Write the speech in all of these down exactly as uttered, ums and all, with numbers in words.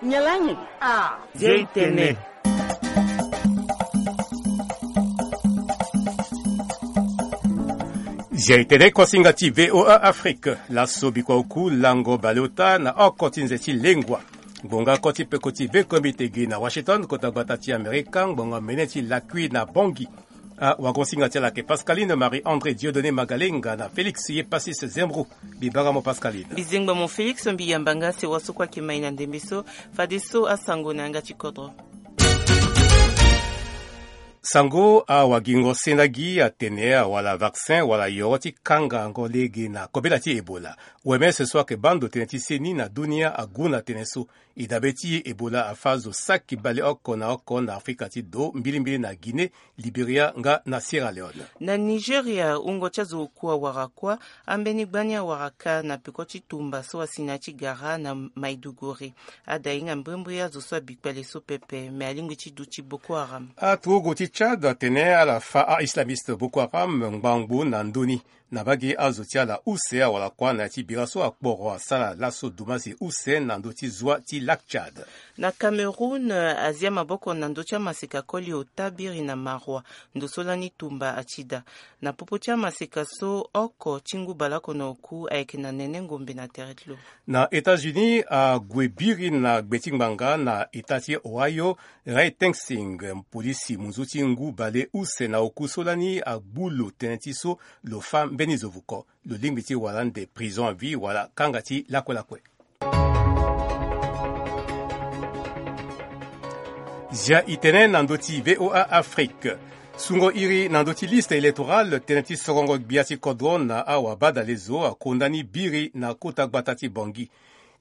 Nyalangi. Ah. Zia itene. Zia itene, kosinga ti VOA Afrique. Laso bikua oku lango baleota na oko ti nze ti lengua. Ngbonga ko ti peko ti ve komite gi na Washington, kota gbata ti Amerika, ngbonga mene ti lakui na Bangui. Ah, wagosinga ti ala ayeke Pascaline Marie André Dieudonné Magalenga na Félix ye Passis Zembro. Bibara mo Pascaline. Bizengba mo Félix, mbi yamba nga sewa so kue ayeke mai na ndembe so, fadeso asango na yanga ti kodro. Sango, awagingo sendagi atene awala vaccin wala yoro ti kangango lege na kobela ti Ebola. O M S so ayeke baa ndo tënë ti seni na dunia agu na tënë so. E dabe ti e Ebola afâ zo saki baleoko na oko na Afrika ti do, mbilimbili na Guinée, Liberia nga na Sierra Leone. Na Nigeria, wungo ti azo oku awara kuâ, ambeni gbani awara kâ na peko ti tumba so asi na ya ti gara na Maiduguri. Ada hinga mbrimbri azo so abi kpale so pepe, me alingbi ti duti Boko Haram. Aturugu ti Tchad atene ala fâ a-islamiste Boko Haram ngbangbo na ndö ni. Na mbage azo ti ala use awara kuâ na ya ti bira so akporo asara laso dumasi use na ndö ti zwa ti Lac Tchad. Na Cameroun, azia maboko na ndö ti amaseka koli ota biri na Marois, ndo so lani tumba ati daa. Na popo ti amaseka so, oko ti ngu baleoko na oku ayeke na nene ngombe na tere ti lo. Na États-Unis, ague biri na gbe ti ngbanga na eta ti Ohio, Ray Teng Sing, polisi munzu ti ngu bale use na oku so lani agbu lo tënë ti so lo fâ mbeni zo vuko. Lo lingbi ti wara ande prison à vie wala kanga ti lakue lakue. Zia itene na ndö ti VOA Afrique. Sungo iri na ndö ti liste électorale, tënë ti sorongo gbia ti kodro na awabadalezo akonda ni biri na kota gbata ti Bangui.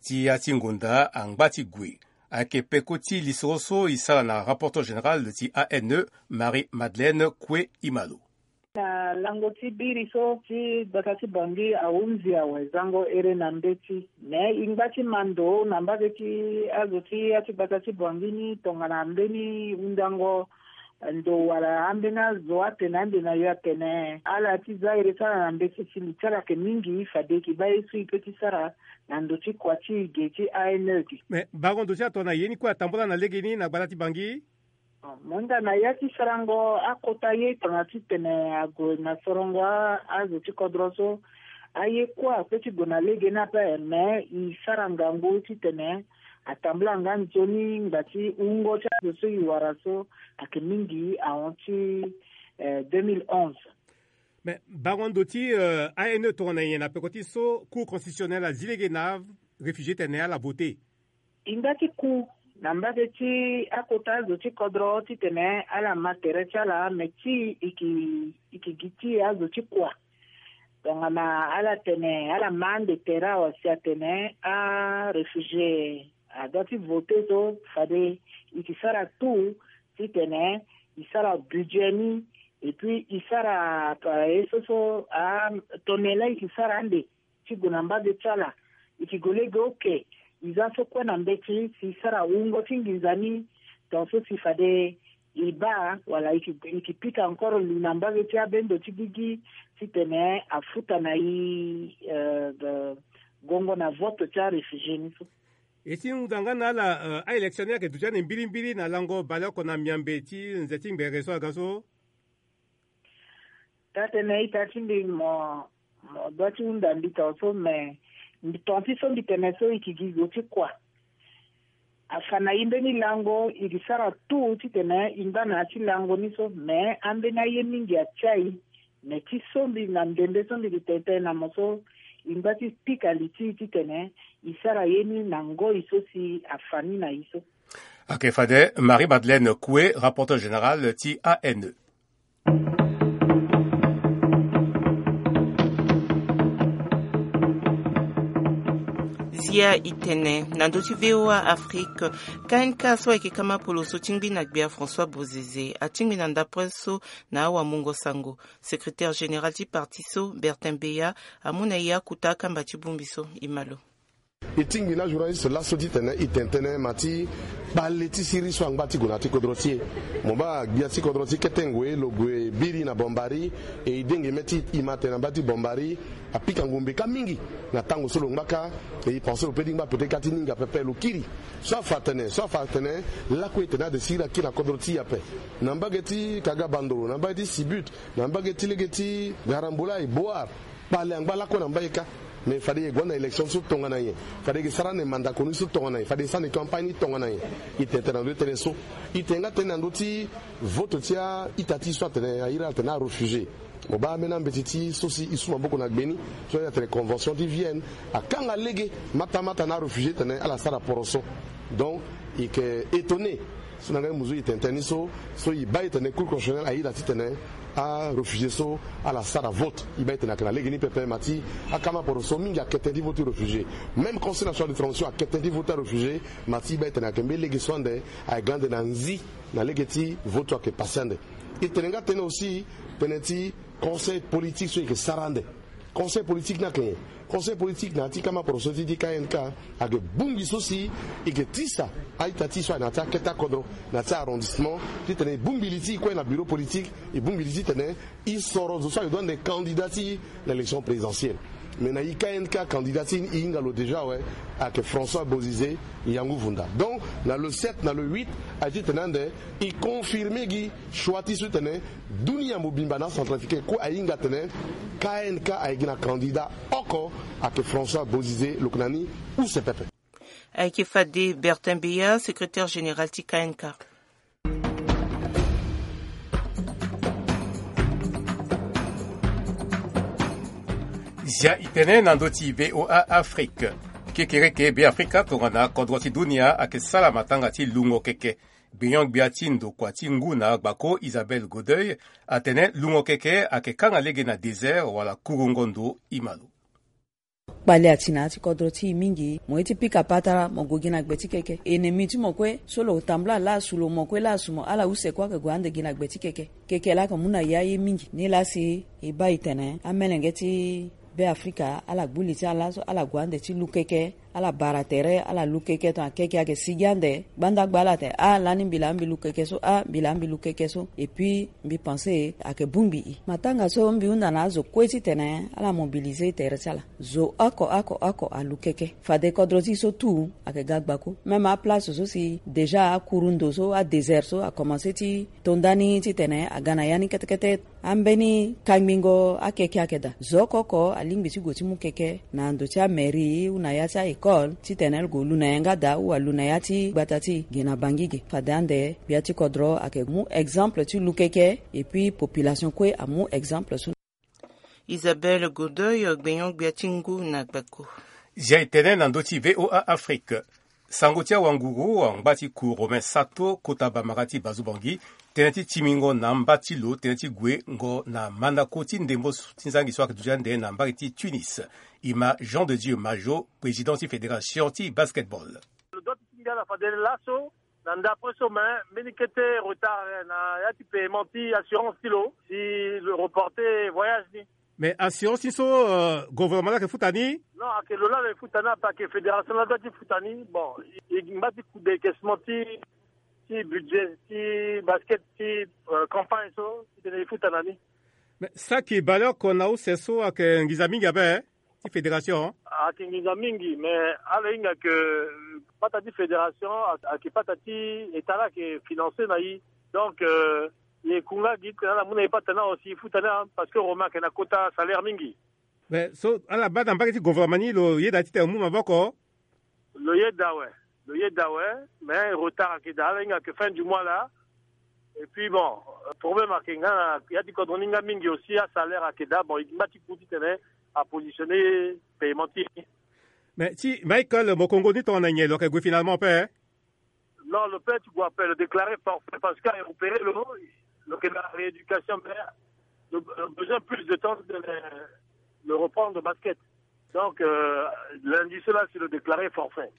Ti ya ti ngonda angba ti gue. Ayeke peko ti lisoro so e sara na rapporteur général ti A N E, Marie Madeleine Kue Imalo. Na lango ti biri so ti gbata ti Bangui ahunzi awe zango here na mbeti. Me e ngba ti ma ndo na mbage ti azo ti ya ti gbata ti Bangui ni tongana mbeni hundango ndo wala ambeni azo atene ande na yo atene ala ti za ere ti ala na mbeti si li ti ala ayeke mingi fade e ke baa ye so e pe ti sara na ndo ti kua ti e ge ti A N E ge. Me bango ndo ti atongana ye ni kue atambula na legeni na gbata ti Bangui? Mo hinga na ya ti sarango akota ye tongana titene ague na sorongo a- azo ti kodro so, aye kue ape ti gue na legeni ape, me e sara ngangu titene atambula nga nzoni ngba ti wungo ti azo so e wara so ayeke mingi ahon ti, eh, deux mille onze. Me bango ndo ti, eh, A N E tongana nyen na peko ti so Cour constitutionnelle azi lege na réfugié tene ala voté? E nga ti ku na mbage ti akota azo ti kodro titene ala ma tere ti ala, me ti e ke, e ke gi ti e azo ti kua. Tongana ala tene, ala ma ande tere awe si atene aréfugié adoit ti voté so, fade e ke sara tout titene e sara budget ni, et puis e sara, eh, ye so so, ah, tongana e ke sara ande ti gue na mbage ti ala, e ke gue lege oke, e za so kue na mbeti si e sara wungo ti nginza ni, tongaso si fade e baa wala e ke, e ke pika encore li na mbage ti abendo ti gigi titene afuta na e, eh, gongo na vote ti aréfugié ni so. E si hunda nga na ala, eh, a-élection ni ayeke duti ande mbilimbili na lango baleoko na miambe ti nze ti ngbere so aga so? Taa-tënë ita ti mbi mo, mo doit ti hunda mbi tongaso, me mbi tonga ti so mbi tene so e ke gi zo ti kua. Afa na e mbeni lango, e ke sara tout titene e ngba na ya ti lango ni so, me ambeni aye mingi atia e. Me ti so mbi na ndembe so mbi ke tene tënë na mo so, e ngba ti pika li ti e titene e sara ye ni na ngoi so si afa ni na e so. Ayeke fade Marie Madeleine Koué, rapporteur général ti A N E. Zia e tene na ndö ti V O A Afrique, K N K so ayeke kama polo so tingbi na gbia François Bozizé atingbi na ndapre so na awamungo sango. Secrétaire général ti parti so, Bertin Beya, amu na e akota akamba ti bongbi so. E ma lo. E tingbi na journaliste laso titene e tene tënë ma ti kpale ti siriri so angba ti gue na ya ti kodro ti e. Mo baa gbia ti kodro ti kete ngoi lo gue biri na Bombari, e e denge mê ti e ma tene na mbage ti Bombari, apika ngombe kâ mingi na tango so lo ngba kâ. E e pense lo pe ti ngba peut-être kâ ti ninga pepe lo kiri. So afa atene so afa atene lakue e tene ade siriri akiri na kodro ti e ape. Na mbage ti Kaga Bandoro, na mbage ti Sibut, na mbage ti lege ti Garambola et Boar, kpale angba lakue na mbage kâ. Mais fade e gue na élection so tongana nyen? Fade e sara ande mandako ni so tongana nyen? Fade e sara ande campagne ni tongana nyen? E tene tënë na ndö ti tënë so. E tene nga tënë na ndö ti vote ti a-ita ti e so atene airi ala atene aréfugié. Mo baa ambeni ambeti ti so si e su maboko na gbe ni, so airi atene convention ti Vienne, akanga lege mata mata na aréfugié tene ala sara poroso. Donc e yeke étonné so na nga e mu zo e tene tënë ni so. So e baa e tene Cour constitutionnelle airi ala titene aréfugié so ala sara vote. E baa e tene ayeke na lege ni pepe ma ti akama poroso mingi akete ti vote ti réfugié. Même Conseil national de transition akete ti vote aréfugié. Ma ti e baa e tene ayeke mbeni lege so ande ayeke ga ande na nzi na lege ti vote so ayeke passé ande. E tene nga tënë aussi tënë ti conseil politique so e yeke sara ande. Conseil politique ni ayeke nyen? Conseil politique na ya ti kama poroso ti di K N K ayeke bongbi so si e yeke tisa a-ita ti e so ayeke na ya ti akete akodro, na ya ti arrondissement, titene e bongbi li ti e kue na bureau politique, e bongbi li titene e soro zo so ayeke doit ande candidat ti e na élection présidentielle. Mais na e K N K candidat ti e e hinga lo déjà awe, ayeke François Bozizé Yangou Vunda. Donc na le sept, na le huit, aye titene ande e confirmer gi choix ti e so titene dunia mobimba na acentrafricain kue ahinga atene K N K ayeke gi na candidat oko, ayeke François Bozizé, lo yeke na ni use pepe. Ayeke fade Bertin Beya, secrétaire général ti K N K. Zia e tene na ndö ti V O A Afrique. Kekereke Beafrika tongana kodro ti dunia ayeke sara matanga ti lungo keke. Gbenyo-gbia ti ndokua ti ngu na gbako Isabelle Godoy atene lungo keke ayeke kanga lege na désert wala kurungo ndo. E ma lo. Kpale ati na ya ti kodro ti e mingi, mo ye ti pika patara mo gue gi na gbe ti keke. Ennemi ti mo kue so lo tambula laa asu lo, mo kue laa asu mo, ala use kue ayeke gue ande gi na gbe ti keke. Keke laa ayeke mu na e aye mingi. Nilaa si e baa e tene amelenge ti Beafrika ala gbu li ti ala so ala gue ande ti lu keke, ala bara tere, ala lu keke, tongana keke ayeke sigi ande, gbanda gba ala atene ah lani mbi laa mbi lu keke so, ah mbi laa mbi lu keke so. Et puis mbi pense ayeke bongbi e. Matanga so mbi hunda na azo kue titene ala mobiliser tere ti ala. Zo oko oko oko alu keke. Fade kodro ti e so tout ayeke ga gbako. Même aplace so si déjà akuru ndo so, adésert so akomanse ti to ndani titene aga na ya ni kete kete. Ambeni kangbingo akeke ayeke daa. Zo oko oko alingbi ti gue ti mu keke na ndo ti amairie ou na ya ti a-école titene lo gue lu na yanga daa ou alu na ya ti gbata ti e ge na Bangui ge. Fade ande gbia ti kodro ayeke mu exemple ti lu keke. Et puis population kue amu exemple so. Isabelle Godoy, gbenyo-gbia ti ngu na gbako. Zia e tene na ndö ti V O A Afrique. Sango ti awanguru angba ti ku Romain Sato kota bambara ti Bazubangi tënë ti timingo na amba ti lo tënë ti guengo na mandako ti ndembo ti nzangi so ayeke duti ande na mbage ti Tunis. E ma Jean de Dieu Majo, président ti fédération ti basketball. Lo doit ti ti ngia na fade laso na ndapre so, mais mbeni kete retard na ya ti paiement ti assurance ti lo si lo reporter voyage ni. Mais assurance ni so, euh, gouvernement la ayeke futa ni? Non, ayeke lo la lo yeke futa ni ape, ayeke fédération la doit ti futa ni. Bon, e ngba ti ku décaissement ti ti budget ti basket ti, euh, campagne so titene e futa na ni. Mais saki baleoko na use so ayeke nginza mingi ape ti fédération. Ayeke nginza mingi, mais ala hinga ke pata ti fédération ayeke pata ti état la ayeke financer na e. Donc, euh, e kunga gi titene ala mu na e pata ni awe si e futa ni, parce que Romain ayeke na kota salaire mingi. Mais so ala baa na mbage ti gouvernement ni, lo yeda titene e mu maboko? Lo yeda awe, lo yeda awe, mais retard ayeke daa, ala hinga ke fin du mois la. Et puis bon, problème ayeke nga na ya ti kodro ni nga mingi aussi, asalaire ayeke daa. Bon, e ngba ti ku titene apositionner paiement ti e. Mais ti Michael Mokongo ni tongana nyen, lo yeke gue finalement ape? Non, lo peut ti gue ape, lo déclarer forfait parce que a repérer lo, lo yeke na rééducation, mais lo, lo besoin plus de temps de le, le reprendre au basket. Donc, euh, lundi so la si lo déclarer forfait.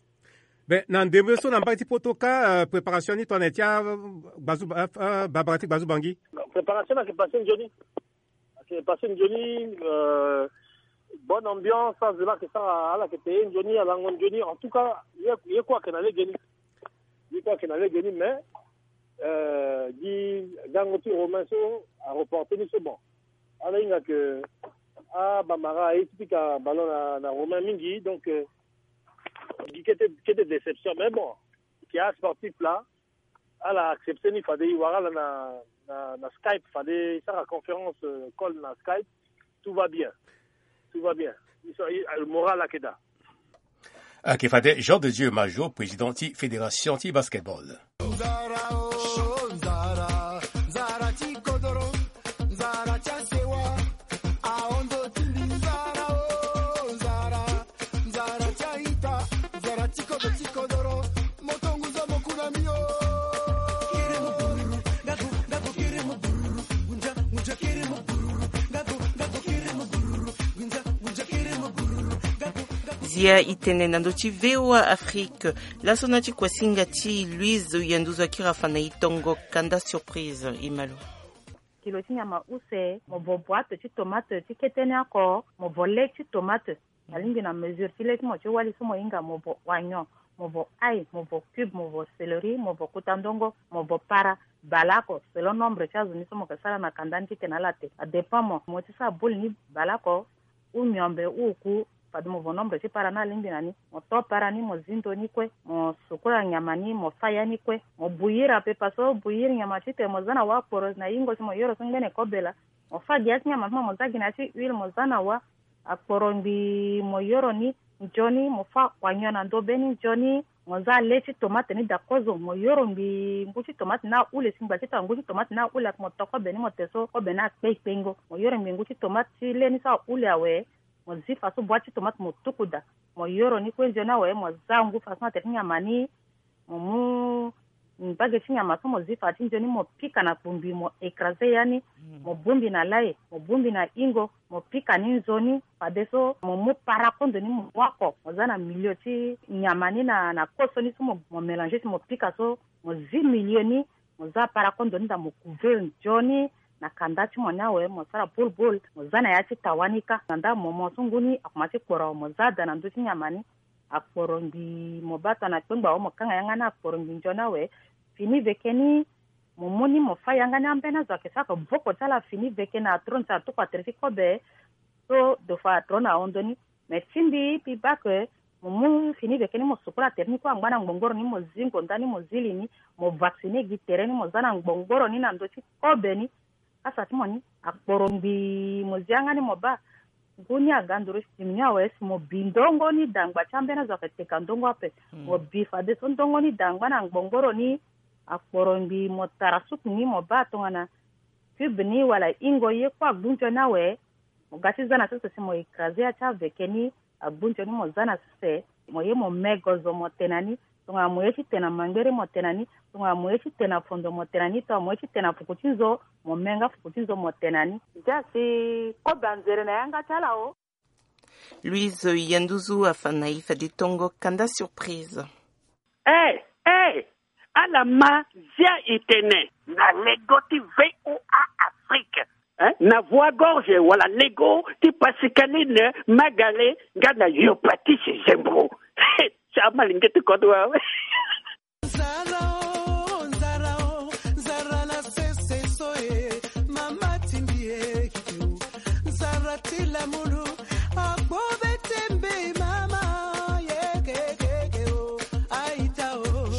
Mais na ndembe so na mbage ti poto kâ, euh, préparation ni tongana nyen ti agbazu, euh, euh, bambara ti Bazubangi? Préparation ni ayeke passé nzoni. Ayeke passé nzoni, euh, Bonne ambiance, azela ke sara ala ke te ye nzoni, alango nzoni. En tout cas, ye, ye kue ake na lege ni. Ye kue ake na lege ni, mais, euh, gi gango ti Romain so areporte ni so, bon, ala hinga ke abamara aye ti pika ballon na, na Romain mingi, donc, euh, gi kete, kete déception, mais bon, ke asportif la, ala accepte ni, fade e wara ala na, na, na Skype, fade e sara conférence, euh, call na Skype, tout va bien. Tout va bien. Ils sont, ils, le moral ake daa. Ake fade Jean de Dieu Majo, président ti fédération ti basketball. Zia e tene na ndö ti V O A Afrique. Laso na ti kuasinga ti Louise Yanduzu akiri afa na e tongo kanda surprise. E ma lo. Kilo ti nyama use, mo vo boîte ti tomate ti kete ni oko, mo vo lait ti tomate. Alingbi na mesure ti lait ti mo ti wali so mo hinga, mo vo oignon, mo vo ail, mo vo cube, mo vo céleri, mo vo kota ndongo, mo vo para, baleoko selon nombre ti azo ni so mo ke sara na kanda ni titene ala te. Adépend mo, mo ti sara boule ni baleoko, ou miombe ou oku, fade mo vo nombre ti para ni alingbi na ni. Mo to para ni, mo zi ndo ni kue, mo sukula nyama ni, mo fa ya ni kue, mo bouillir ape, parce que bouillir nyama titene mo za na wâ akporo na yingo si mo yoro so ngbene kobe laa. Mo fa gi ya ti nyama ti mo, mo za gi na ya ti huile, mo za na wâ. Akporo ngbii mo yoro ni nzoni, mo fa oignon na ndo be ni nzoni. Mo za lait ti tomate ni daa kozo, mo yoro ngbii ngu ti tomate ni ahule, si ngba ti tongana ngu ti tomate ni ahule ake, mo to kobe ni mo te so kobe ni akpe kpengo. Mo yoro ngbii ngu ti tomate ti lait ni so ahule awe, mo zi fa so boîte ti tomate mo tuku daa. Mo yoro ni kue nzoni awe, mo za ngu façon atere ti nyama ni. Mo mu mbage ti nyama so mo zi fa ti nzoni, mo pika na kpumbi, mo écraser ya ni, mo bongbi na lai, mo bongbi na yingo, mo pika ni nzoni. Fadeso mo mu para kondo ni mo mu oko, mo za na milieu ti nyama ni na, na koso ni so mo, mo mélanger si mo pika so, mo zi milieu ni, mo za para kondo ni daa mo couvrir nzoni. Na kanda ti mo ni awe, mo sara boule boule, mo za na ya ti tawa ni kâ. Na nda mo, mo so ngu ni akomanse ti kporo awe, mo za daa na ndö ti nyama ni. Akporo ngbii mo baa tongana kpengba awe, mo kanga yanga ni akporo ngbii nzoni awe. Fini veke ni, mo mu ni mo fa yanga ni, ambeni azo ake sara ke voko ti ala fini veke na tro ni so atuku atere ti kobe. So deux fois atro na hondo ni. Mais ti mbi, mbi baa ke mo mu fini veke ni mo sukula atere ni kue angba na ngbongboro ni, mo zi ngonda ni, mo zi li ni, mo vacciner gi tere ni, mo za na ngbongboro ni na ndö ti kobe ni. Kasa ti mo ni akporo ngbii mo zi yanga ni mo baa. Ngu ni aga nduru si ti mo ni awe si mo bi ndongo ni daa ngba ti ambeni azo ake teka ndongo ape. Mo bi fadeso ndongo ni daa ngba na ngbongboro ni. Akporo ngbii mo tara suku ni mo baa tongana cube ni wala yingo ye kue agbu nzoni awe. Mo ga ti za na sese si mo écraser ya ti aveke ni, agbu nzoni mo za na sese. Mo ye mo me gozo mo te na ni. Tongana mo ye ti te na mangbere mo te na ni. Tongana mo ye ti te na fondo mo te na ni. Tongana mo ye ti te na fuku ti nzo, mo me nga fuku ti nzo mo te na ni. Ndia si kobe anzere na yanga ti ala o. Louise Yanduzu afa na e fade tongo kanda surprise. Eh, eh, ala ma zia e tene na lego ti V O A Afrique, eh, na Voix Gorge wala lego ti Pascaline Magale nga na Yo Patrice Zembo. Ti amalenge ti kodro awe. Nzara o, nzara o, nzara na sese so e, mama timbi e, kiki o. Nzara ti lamulu, akpo be tembe mama, ye ke, ke, ke o, aita o.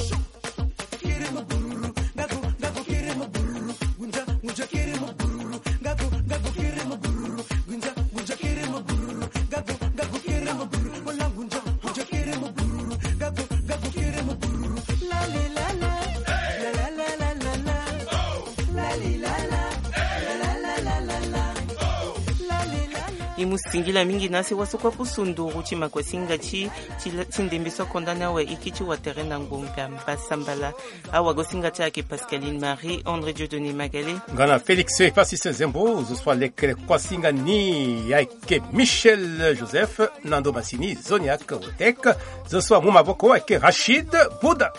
Kiri mo bururu, ngaku, ngaku kiri mo bururu, gunja, gunja kiri mo bururu, ngaku, ngaku kiri mo bururu, gunja, gunja kiri mo bururu, ngaku, ngaku kiri mo bururu, ola gunja. E mu singila mingi na asi waso kue apusu nduru ti makuasinga ti, ti, ti ndembe so akonda ni awe e kiri ti watere na ngbonga mbasambala. Awagosinga ti ayeke Pascaline Marie, André Dieudonné Magale. Nga na Félix Passis Zembo, zo so aleke kuasinga ni ayeke Michel Joseph, Nando Massini, Zoniac Wotek, zo so amu maboko ayeke Rachid Bouda.